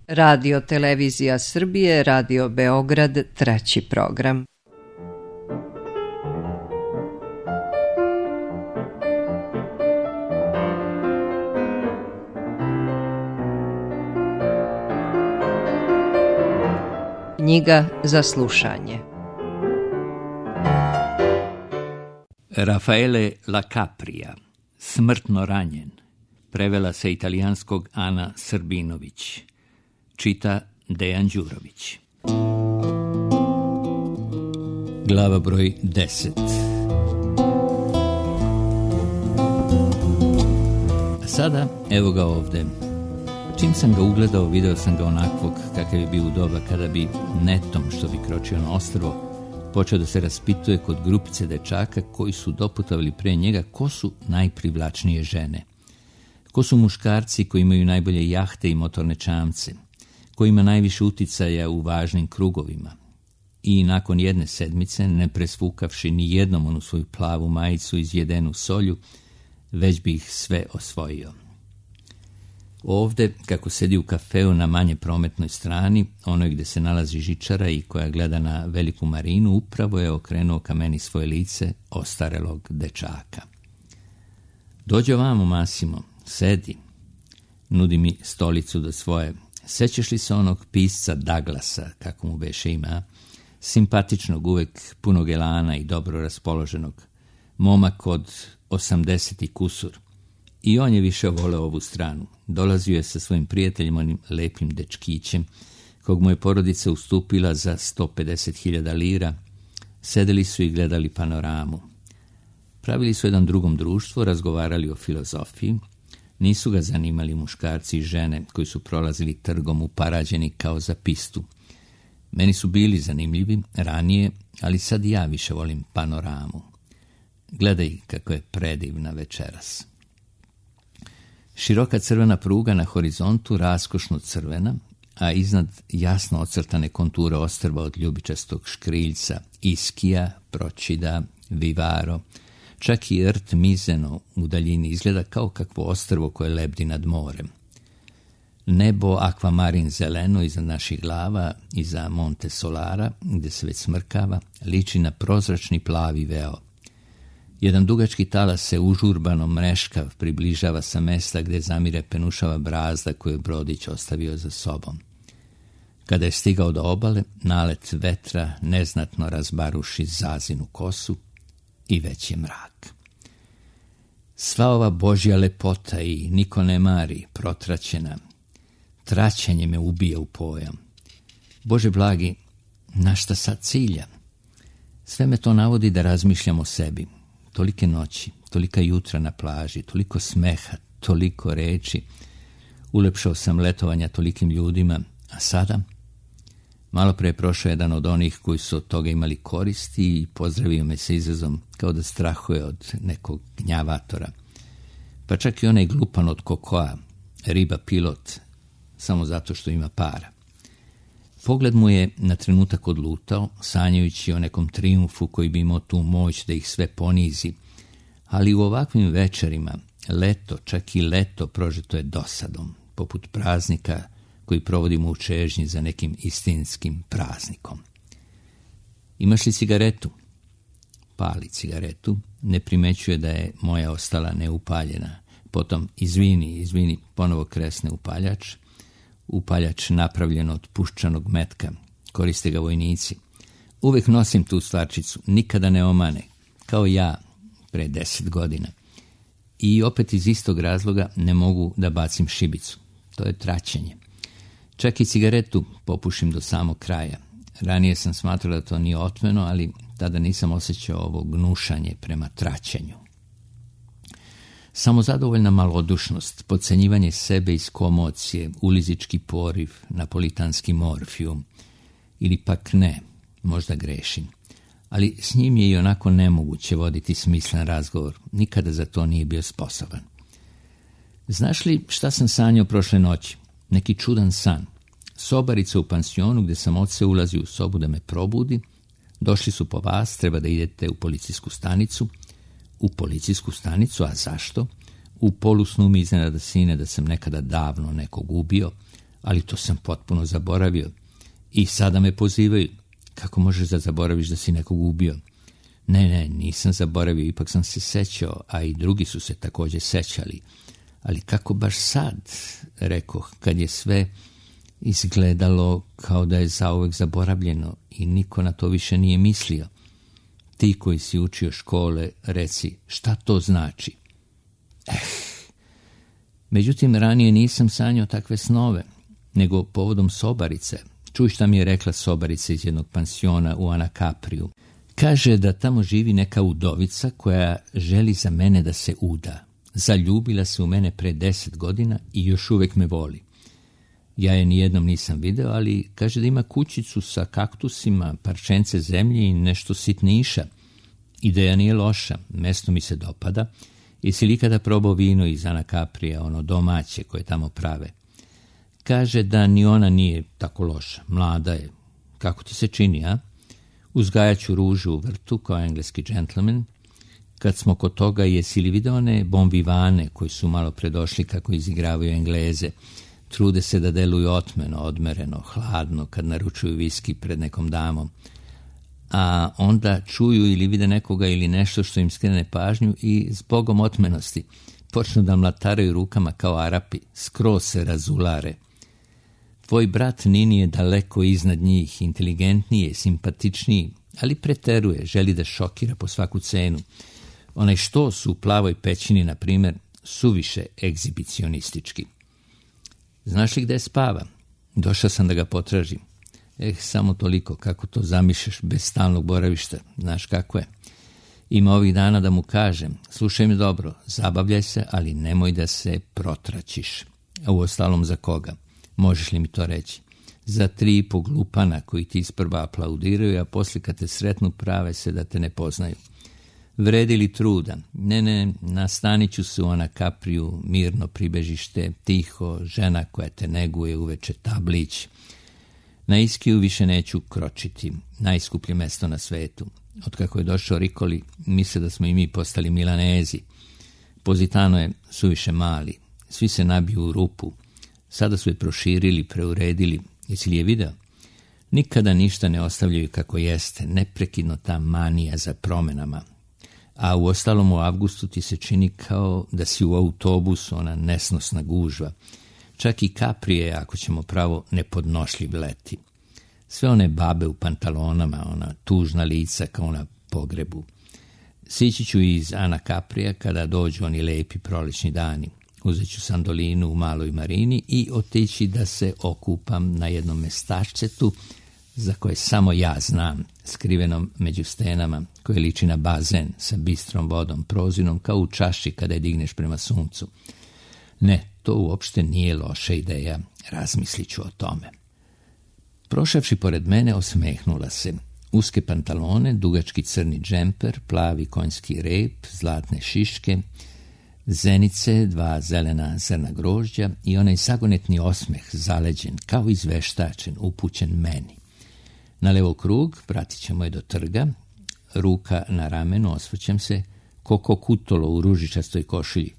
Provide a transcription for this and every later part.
Radio Televizija Srbije, Radio Beograd, treći program. Knjiga za slušanje. Raffaele La Capria, Smrtno ranjen, prevela sa italijanskog Ana Srbinović, čita Dejan Đurović. Glava broj 10. Sada, evo ga ovde. Čim sam ga ugledao, video sam ga onakvog kakav je bio u doba kada bi netom, što bi kročio na ostrvo, počeo da se raspituje kod grupice dečaka koji su doputavali pre njega ko su najprivlačnije žene. Ko su muškarci koji imaju najbolje jahte i motorne čamce, koji ima najviše uticaja u važnim krugovima. I nakon jedne sedmice, ne presvukavši ni jednom onu svoju plavu majicu izjedenu solju, već bi ih sve osvojio. Ovde, kako sedi u kafeu na manje prometnoj strani, onoj gde se nalazi žičara i koja gleda na veliku marinu, upravo je okrenuo ka meni svoje lice ostarelog dečaka. Dođe ovamo, Massimo, sedi. Nudi mi stolicu do svoje. Sećaš li se onog pisca Douglasa, kako mu beše ima? Simpatičnog, uvek punog elana i dobro raspoloženog. Momak od 80 i kusur. I on je više voleo ovu stranu. Dolazio je sa svojim prijateljem, onim lepim dečkićem, kog mu je porodica ustupila za 150.000 lira. Sedeli su i gledali panoramu. Pravili su jedan drugom društvo, razgovarali o filozofiji. Nisu ga zanimali muškarci i žene koji su prolazili trgom uparađeni kao za pistu. Meni su bili zanimljivi ranije, ali sad ja više volim panoramu. Gledaj kako je predivna večeras. Široka crvena pruga na horizontu, raskošno crvena, a iznad jasno ocrtane konture ostrva od ljubičastog škriljca, Iskija, Procida, Vivaro, čak i rt Mizeno u daljini izgleda kao kakvo ostrvo koje lebdi nad morem. Nebo akvamarin zeleno iza naših glava, iza Monte Solara, gde se već smrkava, liči na prozračni plavi veo. Jedan dugački talas se užurbano mreškav približava sa mesta gde zamire penušava brazda koju je brodić ostavio za sobom. Kada je stigao do obale, nalet vetra neznatno razbaruši zazinu kosu i već je mrak. Sva ova Božja lepota i niko ne mari, protraćena, traćenje me ubija u pojam. Bože blagi, na šta sad cilja? Sve me to navodi da razmišljam o sebi. Tolike noći, tolika jutra na plaži, toliko smeha, toliko reči. Ulepšao sam letovanja tolikim ljudima, a sada? Malo pre je prošao jedan od onih koji su od toga imali koristi i pozdravio me sa izrazom kao da strahuje od nekog gnjavatora. Pa čak i onaj glupan od kokoa, riba pilot, samo zato što ima para. Pogled mu je na trenutak odlutao, sanjajući o nekom trijumfu koji bi imao tu moć da ih sve ponizi, ali u ovakvim večerima leto, čak i leto prožeto je dosadom, poput praznika koji provodimo u čežnji za nekim istinskim praznikom. Imaš li cigaretu? Pali cigaretu, ne primećuje da je moja ostala neupaljena. Potom, izvini, ponovo kresne upaljač. Upaljač napravljen od puščanog metka, koriste ga vojnici. Uvek nosim tu stvarčicu, nikada ne omane, kao ja pre 10 godina. I opet iz istog razloga ne mogu da bacim šibicu. To je traćenje. Čak i cigaretu popušim do samog kraja. Ranije sam smatrao da to nije otmeno, ali tada nisam osjećao ovo gnušanje prema traćenju. Samozadovoljna malodušnost, podcenjivanje sebe iz komocije, ulizički poriv, napolitanski morfijum. Ili pak ne, možda grešim. Ali s njim je i onako nemoguće voditi smislen razgovor. Nikada za to nije bio sposoban. Znaš li šta sam sanjao prošle noći? Neki čudan san. Sobarica u pansionu gde sam od se ulazi u sobu da me probudi. Došli su po vas, treba da idete u policijsku stanicu. U policijsku stanicu, a zašto? U polusnu mi iznenada sine da sam nekada davno nekog ubio, ali to sam potpuno zaboravio. I sada me pozivaju. Kako možeš da zaboraviš da si nekog ubio? Ne, nisam zaboravio, ipak sam se sećao, a i drugi su se također sećali. Ali kako baš sad, rekoh, kad je sve izgledalo kao da je zauvek zaboravljeno i niko na to više nije mislio. Ti koji si učio škole, reci, šta to znači? Međutim, ranije nisam sanjao takve snove, nego povodom sobarice. Čuj šta mi je rekla sobarica iz jednog pansiona u Anacapriju. Kaže da tamo živi neka udovica koja želi za mene da se uda. Zaljubila se u mene pre 10 godina i još uvek me voli. Ja je nijednom nisam video, ali kaže da ima kućicu sa kaktusima, parčence zemlje i nešto sitniša. Ideja nije loša, mesto mi se dopada. Jesi li ikada probao vino iz Anacaprija, ono domaće koje tamo prave? Kaže da ni ona nije tako loša, mlada je. Kako ti se čini, a? Uzgajaću ružu u vrtu kao engleski džentlmen. Kad smo kod toga, jesi li video one bombivane koji su malo predošli kako izigravaju Engleze? Trude se da deluju otmeno, odmereno, hladno kad naručuju viski pred nekom damom. A onda čuju ili vide nekoga ili nešto što im skrene pažnju i zbogom otmenosti počnu da mlataraju rukama kao Arapi, skroz se razulare. Tvoj brat Nini je daleko iznad njih, inteligentniji, simpatičniji, ali preteruje, želi da šokira po svaku cenu. Onaj štos u plavoj pećini, na primjer, suviše egzibicionistički. Znaš li gde spava? Došao sam da ga potražim. Samo toliko, kako to zamišljaš bez stalnog boravišta, znaš kako je. Ima ovih dana da mu kažem, slušaj me dobro, zabavljaj se, ali nemoj da se protračiš. A uostalom za koga? Možeš li mi to reći? Za 3,5 glupana koji ti isprva aplaudiraju, a poslije kad te sretnu prave se da te ne poznaju. Vredi li truda? Ne, nastanit ću se u Anacapriju, mirno pribežište, tiho, žena koja te neguje uveče, tablić. Na Iskiju više neću kročiti, najskuplje mesto na svetu. Otkako je došao Ricoli, misle da smo i mi postali Milanezi. Positano je suviše mali, svi se nabiju u rupu. Sada su je proširili, preuredili. Jesi li je video? Nikada ništa ne ostavljaju kako jeste, neprekidno ta manija za promenama. A u ostalom u avgustu ti se čini kao da si u autobusu, ona nesnosna gužva. Čak i Kaprije, ako ćemo pravo, nepodnošljiv leti. Sve one babe u pantalonama, ona tužna lica kao na pogrebu. Sići ću iz Anacaprija kada dođu oni lepi prolećni dani. Uzet ću sandolinu u maloj marini i otići da se okupam na jednom mestašcetu za koje samo ja znam, skrivenom među stenama, koje liči na bazen sa bistrom vodom, prozirom kao u čaši kada je digneš prema suncu. Ne, to uopšte nije loša ideja, razmislit ću o tome. Prošavši pored mene, osmehnula se. Uske pantalone, dugački crni džemper, plavi konjski rep, zlatne šiške, zenice, 2 zelena zrna grožđa i onaj zagonetni osmeh, zaleđen, kao izveštačen, upućen meni. Na levo krug, pratit ćemo je do trga, ruka na ramenu, osvrćem se, Koko Kutolo u ružičastoj košilji.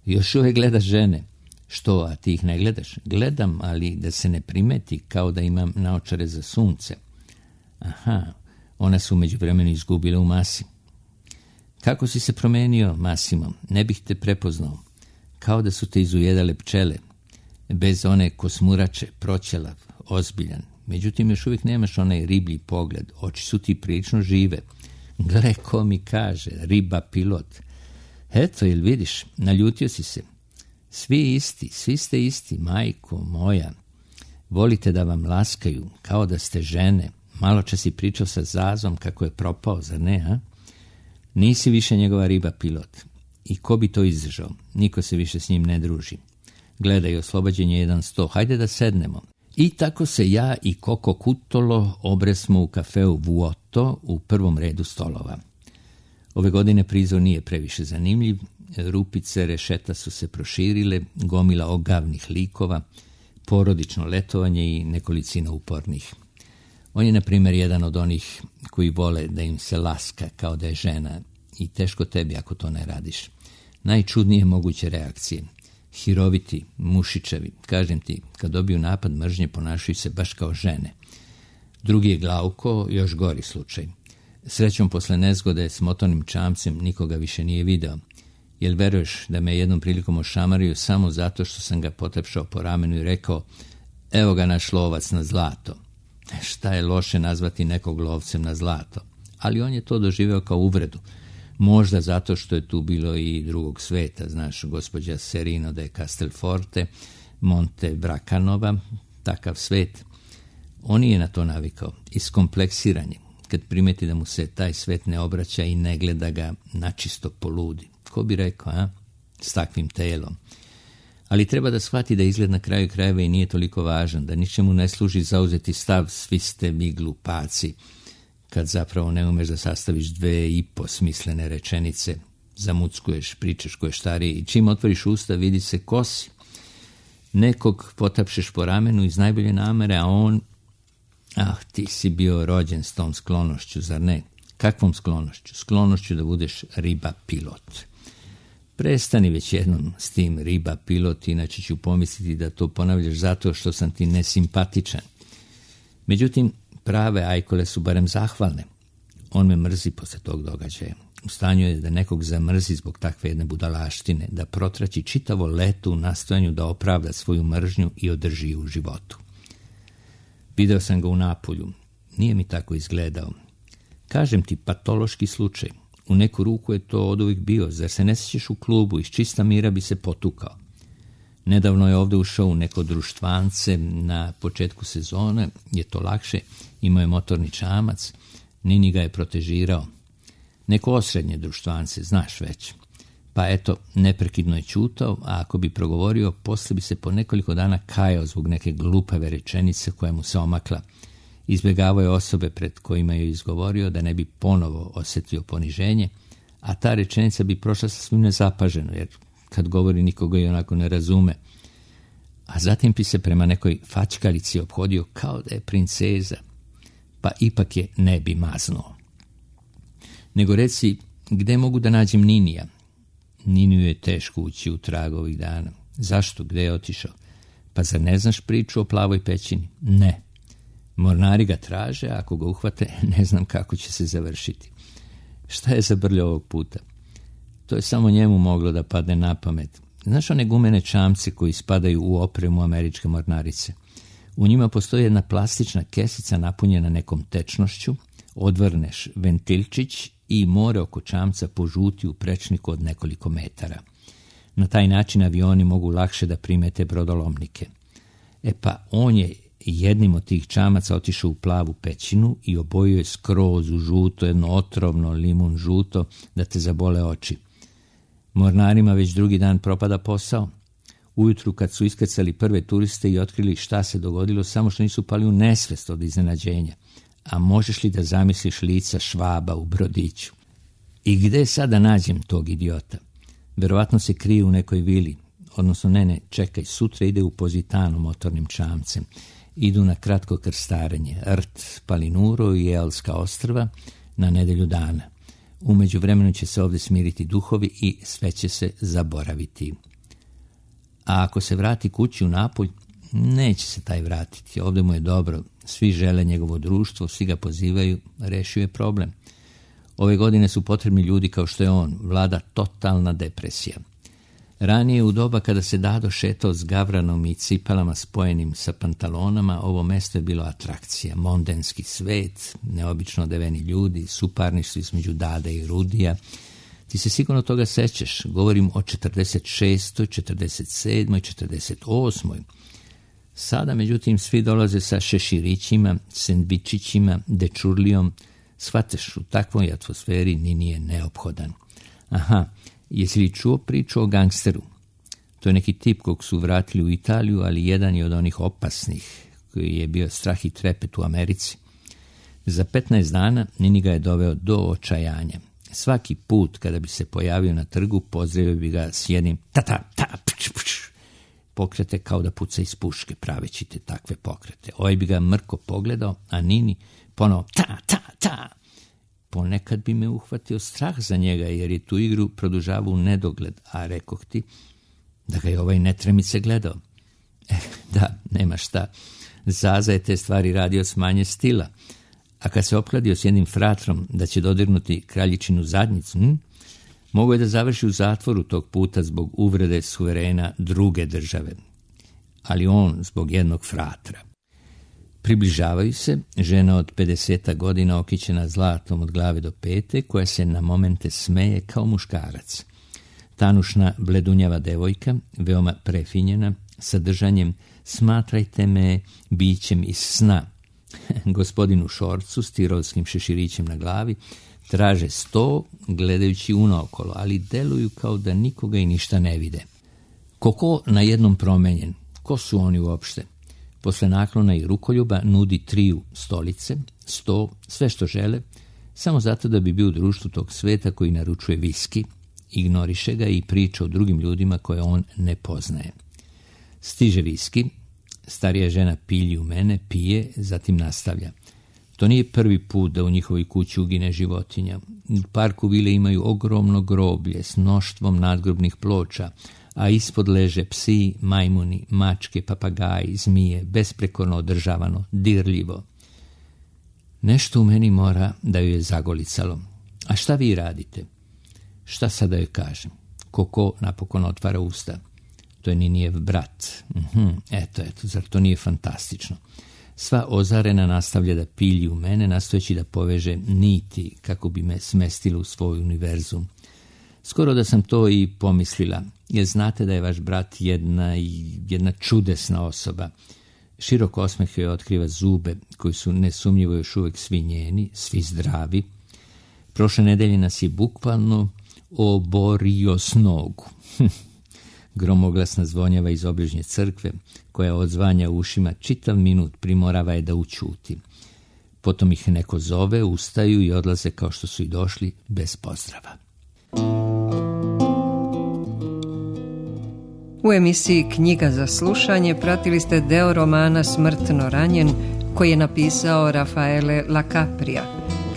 Još uvek gledaš žene. Što, a ti ih ne gledaš? Gledam, ali da se ne primeti, kao da imam naočare za sunce. Aha, one su međuvremenu izgubile u masi. Kako si se promenio, Massimo? Ne bih te prepoznao. Kao da su te izujedale pčele. Bez one kosmurače, proćelav, ozbiljan. Međutim, još uvijek nemaš onaj riblji pogled. Oči su ti prilično žive. Gle, ko mi kaže, riba pilot. Eto, jel vidiš, naljutio si se. Svi ste isti, majko moja. Volite da vam laskaju, kao da ste žene. Malo čas si pričao sa Zazom kako je propao, zar ne, a? Nisi više njegova riba pilot. I ko bi to izdržao? Niko se više s njim ne druži. Gledaj, oslobađen je 100, hajde da sednemo. I tako se ja i Koko Kutolo obresmo u kafeu Vuoto u prvom redu stolova. Ove godine prizor nije previše zanimljiv, rupice rešeta su se proširile, gomila ogavnih likova, porodično letovanje i nekolicina upornih. On je, na primjer, jedan od onih koji vole da im se laska kao da je žena i teško tebi ako to ne radiš. Najčudnije moguće reakcije. Hiroviti, mušićevi, kažem ti, kad dobiju napad mržnje ponašaju se baš kao žene. Drugi je Glauko, još gori slučaj. Srećom posle nezgode s motornim čamcem nikoga više nije video. Jel veruješ da me jednom prilikom ošamario samo zato što sam ga potepšao po ramenu i rekao: evo ga naš lovac na zlato. Šta je loše nazvati nekog lovcem na zlato? Ali on je to doživeo kao uvredu. Možda zato što je tu bilo i drugog sveta, znaš, gospođa Serino de Castelforte, Monte Bracanova, takav svet. On je na to navikao, iskompleksiran je, kad primeti da mu se taj svet ne obraća i ne gleda ga načisto poludi. Ko bi rekao, s takvim telom? Ali treba da shvati da izgled na kraju krajeva i nije toliko važan, da ničemu ne služi zauzeti stav svi ste vi glupaci, kad zapravo ne umeš da sastaviš 2,5 smislene rečenice, zamuckuješ, pričaš ko je stariji i čim otvoriš usta vidi se ko si. Nekog potapšeš po ramenu iz najbolje namere, a on, ti si bio rođen s tom sklonošću, zar ne? Kakvom sklonošću? Sklonošću da budeš riba pilot. Prestani već jednom s tim riba pilot, inače ću pomisliti da to ponavljaš zato što sam ti nesimpatičan. Međutim, prave ajkole su barem zahvalne. On me mrzi posle tog događaja. U stanju je da nekog zamrzi zbog takve jedne budalaštine, da protraći čitavo leto u nastojanju da opravda svoju mržnju i održi ju u životu. Video sam ga u Napulju. Nije mi tako izgledao. Kažem ti, patološki slučaj. U neku ruku je to oduvijek bio. Zar se ne sjećaš u klubu, iz čista mira bi se potukao. Nedavno je ovdje ušao u neko društvance na početku sezone, je to lakše, imao je motorni čamac, Nini ga je protežirao. Neko osrednje društvance, znaš već. Pa eto, neprekidno je ćutao, a ako bi progovorio, poslije bi se po nekoliko dana kajao zbog neke glupave rečenice koja mu se omakla. Izbjegavao je osobe pred kojima je izgovorio da ne bi ponovo osjetio poniženje, a ta rečenica bi prošla sasvim nezapaženo, jer kad govori nikoga i onako ne razume. A zatim bi se prema nekoj fačkalici ophodio kao da je princeza, pa ipak je ne bi maznuo. Nego reci, gde mogu da nađem Ninija? Niniju je teško ući u trag ovih dana. Zašto? Gde je otišao? Pa zar ne znaš priču o plavoj pećini? Ne. Mornari ga traže, a ako ga uhvate, ne znam kako će se završiti. Šta je zabrljao ovog puta? To je samo njemu moglo da padne na pamet. Znaš one gumene čamce koji spadaju u opremu američke mornarice? U njima postoji jedna plastična kesica napunjena nekom tečnošću, odvrneš ventilčić i more oko čamca požuti u prečniku od nekoliko metara. Na taj način avioni mogu lakše da primete brodolomnike. Pa on je jednim od tih čamaca otišao u plavu pećinu i obojio je skroz u žuto, jedno otrovno limun žuto, da te zabole oči. Mornarima već drugi dan propada posao. Ujutru kad su iskrcali prve turiste i otkrili šta se dogodilo, samo što nisu pali u nesvest od iznenađenja. A možeš li da zamisliš lica Švaba u brodiću? I gde sada nađem tog idiota? Verovatno se krije u nekoj vili. Odnosno, čekaj, sutra ide u Pozitanu motornim čamcem. Idu na kratko krstarenje, Rt, Palinuro i Elska ostrva na nedelju dana. U međuvremenu će se ovdje smiriti duhovi i sve će se zaboraviti. A ako se vrati kući u Napulj, neće se taj vratiti. Ovdje mu je dobro, svi žele njegovo društvo, svi ga pozivaju, rešio je problem. Ove godine su potrebni ljudi kao što je on, vlada totalna depresija. Ranije u doba kada se Dado šetao s gavranom i cipelama spojenim sa pantalonama, ovo mesto je bilo atrakcija, mondenski svet, neobično odeveni ljudi, suparništvo između Dade i Rudija. Ti se sigurno toga sećaš, govorim o 46., 47., 48. Sada, međutim, svi dolaze sa šeširićima, sendvičićima, dečurlijom. Shvataš, u takvoj atmosferi ni nije neophodan. Aha, jesi li čuo priču o gangsteru? To je neki tip kog su vratili u Italiju, ali jedan je od onih opasnih, koji je bio strah i trepet u Americi. Za 15 dana Nini ga je doveo do očajanja. Svaki put kada bi se pojavio na trgu, pozdravio bi ga s jednim pokrete kao da puca iz puške, praveći te takve pokrete. Ovaj bi ga mrko pogledao, a Nini ponovo ta. Ponekad bi me uhvatio strah za njega, jer je tu igru produžavao u nedogled, a rekoh ti, da ga je ovaj netremice gledao. Da, nema šta. Zaza je te stvari radio s manje stila, a kad se opkladio s jednim fratrom da će dodirnuti kraljičinu zadnjicu, mogao je da završi u zatvoru tog puta zbog uvrede suverena druge države. Ali on zbog jednog fratra. Približavaju se žena od 50 godina okićena zlatom od glave do pete, koja se na momente smeje kao muškarac. Tanušna, bledunjava devojka, veoma prefinjena, sa držanjem "smatrajte me bićem iz sna". Gospodin u šorcu s tirovskim šeširićem na glavi traže sto, gledajući unaokolo, ali deluju kao da nikoga i ništa ne vide. Koko na jednom promenjen. Ko su oni uopšte? Posle naklona i rukoljuba nudi 3 stolice, 100, sve što žele, samo zato da bi bio u društvu tog sveta koji naručuje viski, ignoriše ga i priča o drugim ljudima koje on ne poznaje. Stiže viski, starija žena pilji u mene, pije, zatim nastavlja. To nije prvi put da u njihovoj kući ugine životinja. U parku vile imaju ogromno groblje s mnoštvom nadgrobnih ploča, a ispod leže psi, majmuni, mačke, papagaji, zmije, besprekorno održavano, dirljivo. Nešto u meni mora da ju je zagolicalo. A šta vi radite? Šta sad da joj kažem? Koko napokon otvara usta. To je Ninijev brat. Eto, zar to nije fantastično? Sva ozarena nastavlja da pilji u mene, nastojeći da poveže niti kako bi me smestila u svoj univerzum. Skoro da sam to i pomislila, jer znate da je vaš brat jedna čudesna osoba. Širok osmeh joj otkriva zube, koji su nesumnjivo još uvijek svi njeni, svi zdravi. Prošle nedelje nas je bukvalno oborio s nogu. Gromoglasna zvonjava iz obližnje crkve, koja odzvanja u ušima čitav minut, primorava je da ućuti. Potom ih neko zove, ustaju i odlaze kao što su i došli, bez pozdrava. U emisiji Knjiga za slušanje pratili ste deo romana Smrtno ranjen, koji je napisao Rafaele Lacaprija.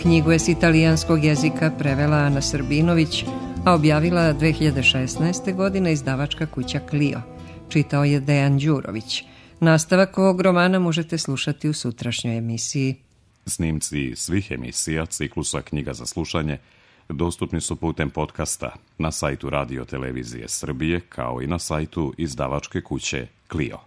Knjigu je s italijanskog jezika prevela Ana Srbinović, a objavila 2016. godine izdavačka kuća Clio. Čitao je Dejan Đurović. Nastavak ovog romana možete slušati u sutrašnjoj emisiji. Snimci svih emisija ciklusa Knjiga za slušanje dostupni su putem podcasta na sajtu Radio Televizije Srbije, kao i na sajtu izdavačke kuće Clio.